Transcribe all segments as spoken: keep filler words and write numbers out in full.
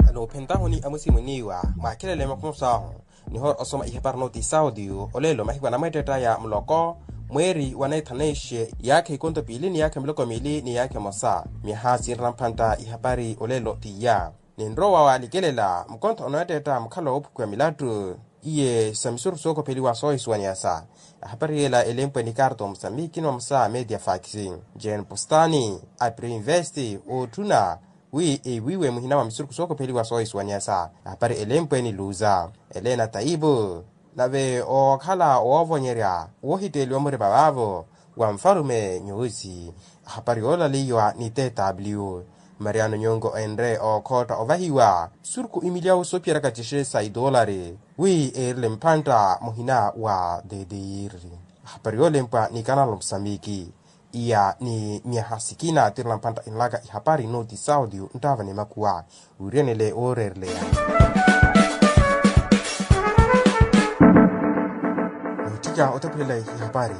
Anoophenttahuni amusimwiniwa mwaakhelele makhumusa ahu. Nihoora osoma ihapari nooti sautiyu olelo mahiku anamweetteetta ya muloko mweeri wa neethaneixe iyaakha ikonto piili ni iyaakha miloko miili ni iyaakha emosa. Myaha sinrela mphantta ihapari olelo tiya. Ninrowa walikelela mukontho onoweetteetta mukhalo woophukiwa milattu iye sa misurukhu sookopheliwa soohisuwaniyasa. Ahapari yeela elempwe ni karto musamiki ni mamusa media fax. Jen postani, apri investi ootthuna wi ewiiwe muhina wa misurukhu sookopheliwa soohisuwaniyasa. Ahapari elempwe ni luza elena taipu. Nave ookhala woovonyerya woohitteeliwa murima vaavo wa nfalume nyuusi. Ahapari yoolaliwa ni tw mariano nyongo enre ookhootta ovahiwa misurukhu imilyawu soophiyeraka cexe sa itoolari wi eerile mphantta muhina wa dedeyiri. Ahapari yoolempwa ni kanalo musamiki. Iya ni myaha sikina tirela mphantta enlaka ihapari nooti sautiyu nttaava ni makuwa. Wiirenele wooreereleya nootthika otaphulela ihapari.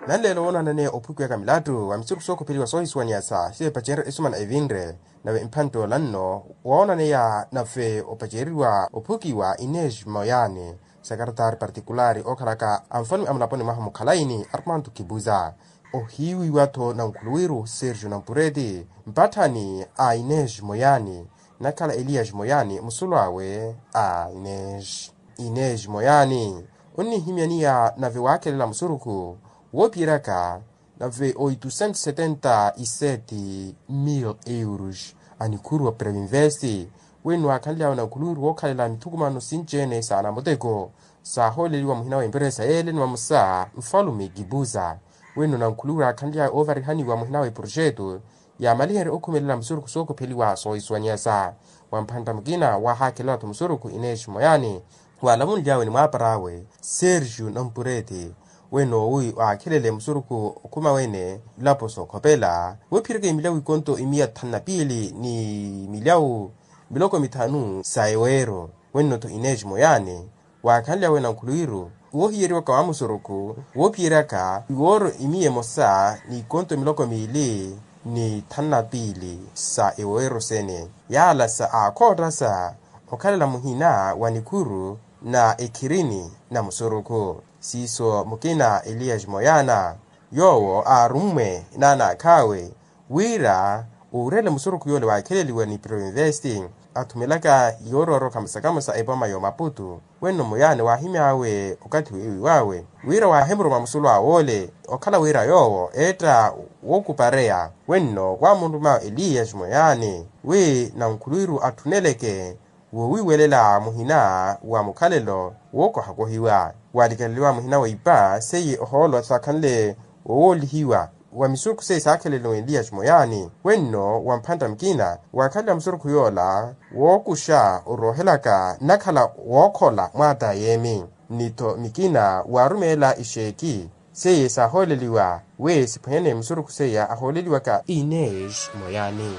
Nanleelo woonaneya ophukiwaka milattu wa misurukhu sookopheliwa soohisuwaniyasa sivepacerya esumana evinre. Nave mphantta ola nno woonaneya nave opacereriwa ophukiwa ineji moyani sakaratari partikulari ookhalaka anfalume amulaponi mwaha mukhalayi ni armanto kibuza. Ohiiwiwa-tho nankhuluwiru sergio nampureti mpatthani a ineji moyani nakhala elias moyani musulu awe a ineji. Ineji moyani onnihimyaniya nave waakhelela musurukhu woophiyeraka nave oitusentos setenta y sete mil euros a nikhuru wa previnvesti. Wenno waakhanly'awe nankhuluwiru wookhalela mithukumano sinci-ene sa namuteko saahooleliwa muhina wa emperesa yeele ni mamusa nfalume kibuza. Wenno nankhuluwiru aakhanly'awe oovarihaniwa muhina wa eprojeto yaamaliherye okhumelela musurukhu sookopheliwa soohisuwaniyasa. Wa mphantta mukina waahaakhelela-tho musurukhu ineji moyani waalavunly'awe ni mwaapar'awe sergio nampureti. Wenno wi waakhelele musurukhu okhuma wene ilapo sookhopela woophiyeraka imilyawu ikonto imiya thanu na piili ni milyawu miloko mithanu sa eweero. Wenno-tho ineji moyani waakhanlyawe nankhuluwiru woohiyeriwaka wa musurukhu woophiyeryaka iwooro imiya emosa n'ikonto miloko miili ni thanu na piili sa eweero sene yaalasa aakhoottasa okhalela muhina wa nikhuru na ekhirini na musurukhu. Siiso mukina elias moyana yoowo aarummwe n'anaakh'awe wira oorele musurukhu yoole waakheleliwa ni provinvesti athumelaka yoorooro kamosa kamosa epoma y'omaputu. Wenno moyani waahimy'awe okathi weewiw'awe wira waahimuruma musulu awe ole okhala wira yoowo eetta wookupareya. Wenno waamunruma elias moyani wi nankhuluwiru atthuneleke woowiiwelela muhina wa mukhalelo wookohakohiwa waalikeleliwa muhina wa ipa seiye ohoolo saakhanle wowoolihiwa wa misurukhu seiye saakheleliwa elias moyani. Wenno wa mphantta mukina waakhanle musurukhu yoola wookuxa oroohelaka nnakhala wookhola mwaatayemi ni-tho mikina waarumeela ixeeki seiye saahooleliwa wi siphwanyane musurukhu seiya ahooleliwaka ines moyani.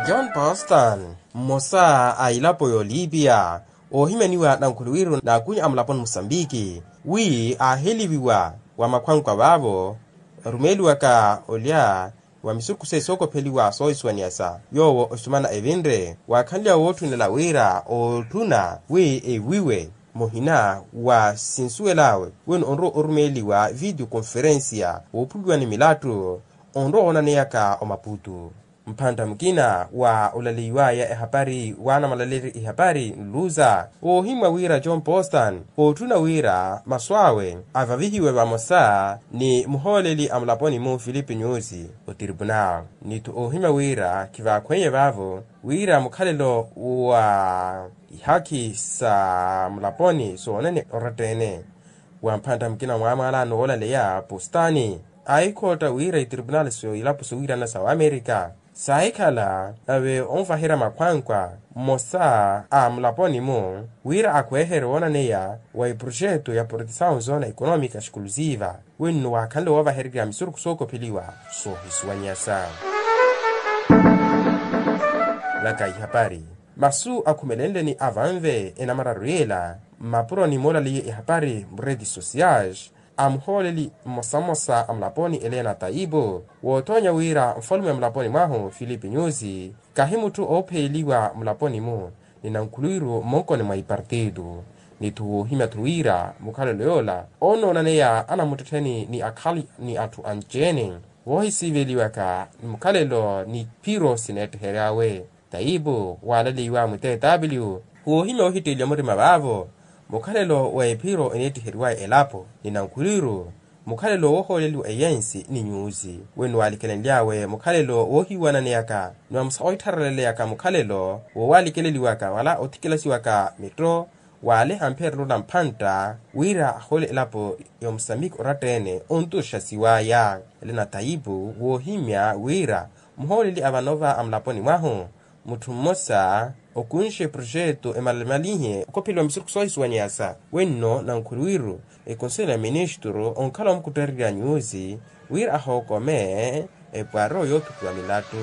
John boston mmosa a ilapo y'olipiya oohimyaniwa nankhuluwiru n'akunya a mulaponi musambiki wi aaheliviwa wa makhwankwa vaavo arumeeliwaka olya wa misurukhu seiye sookopheliwa soohisuwaniyasa yoowo osumana evinre waakhanlya wootthunela wira ootthuna wi ewiwe muhina wa sinsuwel'awe wino onrowa orumeeliwa video conferencia woophuliwa ni milattu onrowa woonaneyaka omaputu. Mphantta mukina wa olaleiwaya ehapari waanamalaleri ihapari nluza oohimwa wira john boston ootthuna wira masu awe avavihiwe vamosa ni muhooleli a mulaponi-mu filipe nyusi otiripuna ni-tho oohimya wira khivaakhweiye vaavo wira mukhalelo wa ihakhi sa mulaponi soonene oratta-ene. Wa mphantta mukina mwaamwaalano woolaleya postani aahikhootta wira itiripinaali so ilapo sowiirana sa wamerika saahikhala nave onvaherya makhwankwa mmosa a mulaponi-mu wira akhweeherye woonaneya wa eprojeto ya protesawu zona ekonomika exclusiva wenno waakhanle woovahererya misurukhu sookopheliwa soohisuwanyasa. Vaka ihapari masu akhumelenle ni avanve enamararu yela mmapuroni moolaliye ihapari mureti sociage a muhooleli mmosa mmosa a mulaponi elena taipu, woothoonya wira nfalume a mulaponi mwahu filipi nyusi kahi mutthu oopheyeliwa mulaponi-mu, ni nankhuluwiru mmonkoni mwa ipartitu. Ni-tho woohimya-tho wira mukhalelo yoola onoonaneya anamuttettheni ni akhali ni atthu anci-ene, woohisiiveliwaka ni mukhalelo ni phiro sineettehery'awe. Taipu waaleleiwa mwiteetapiliwu woohimya woohitteeliwa murima vaavo. Mukhalelo wa ephiro eneettiheriwaya elapo ni nankhulwiru, mukhalelo woohooleliwa eyensi ni nyusi weno waalikelenly'awe mukhalelo woohiwananeyaka ni wamsa ohittharaleleyaka mukhalelo woowaalikeleliwaka wala othikilasiwaka mitto. Waaleha mpheerelo na mphantta wira ahoole elapo ya omusambiki oratta-ene ontuxa siwaya. Elena taipu woohimya wira muhooleli a vanova a mulaponi mwahu mutthu mmosa okunxe proxeto emalimalihe okhopheliwa misurukhu soohisuwaniyasa wenno nankhuluwiru ekonselo ya ministru onkhala omukuttererya nyusi wira ahookome epwaro yoothupiwa milattu.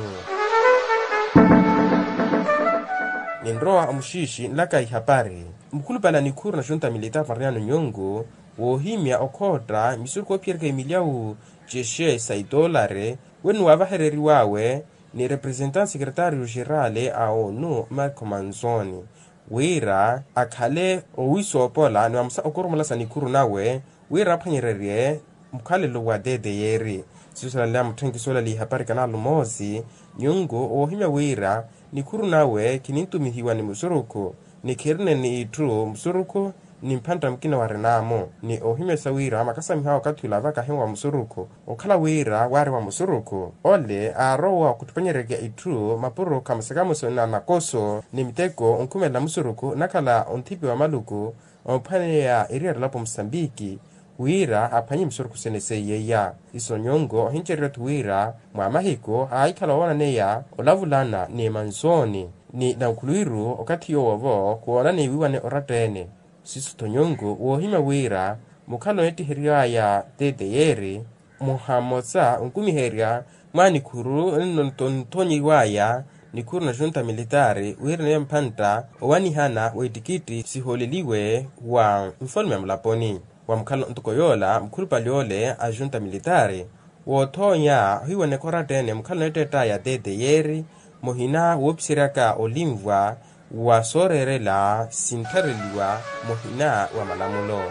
Ninrowa omuxiixi nlaka ihapari mukhulupale a nikhuru na xunta militapu mariyano nyungu woohimya okhootta misurukhu oophiyerika imilyawu cexe sa itolari wenno waavarereriw'awe ni representante secretario xerali a onu marco manzoni wira akhale owisoopola ni wamsa okoromolasa nikhuru nawe wira aphwanyererye mukhalelo wa tteyeri. Siso salaleya mutthenkiso olaleya ihapari kanalu moosi nyungu woohimya wira nikhuru nawe khinitumihiwa ni musurukhu ni khirina ni itthu musurukhu ni mphantta mukina warinamo ni ohimyasa wira makasamihawa okathi ula vakahi wa musurukhu okhala wira waari wa musurukhu ole aarowa okhuttupanyererya itthu mapuro khamusi khamusi na nakoso ni miteko onkhumelela musurukhu nakhala onthipi wa maluku ophwaneya eriyari elapo musambiki wira aphwanye misurukhu sene seiyeiya. Iso nyungu ohincererya-tho wira mwa mahiku aahikhala woonaneya olavulana ni manzoni ni nankhuluwiru okathi yoowo khuwoonane wiiwane oratta-ene. Siso-tho nyungu woohimya wira mukhala oneettiheriwaya tteyeri muhamosa onkumiherya mwa nikhuru nno nthonyiwaya nikhuru na xunta militaari wira naye mphantta owanihana w'ettikitti sihooleliwe wa nfalume a mulaponi wa mukhala ntoko yoola mukhulupale ole a xunta militaari woothoonya ohiwaneka oratta-ene mukhala oneettettaya tteyeri muhina woopiseryaka olinvwa wa sooreerela sinthareliwa muhina wa malamulo.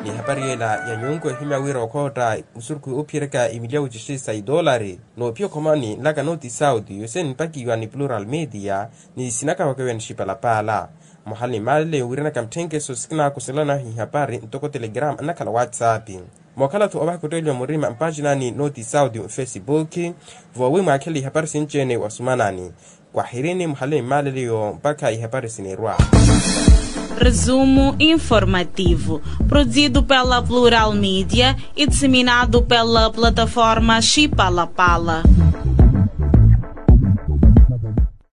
Ni ehapari yeela ya nyunku ehimya wira okhootta musurukhu oophiyereka imilyawu cixi sa itolari noophiya okhomani nlaka noti sauti yose nipakiwa ni plural media ni sinakawaka wenixipalapaala muhala ni maalele yowiranaka mutthenkeso sikinaakoselana ihapari ntoko telegrama nnakhala whatsapp. Mookhala-tho ovahaka otteeliwa murima mpaxinani noti sauti mfesipuki voowi mwaakhela ihapari sinci-ene wasumanani kwahirini muhala ni maalele yo mpakha ihapari sinirwa. Resumo informativo, produzido pela Plural Media e disseminado pela plataforma Chipalapala.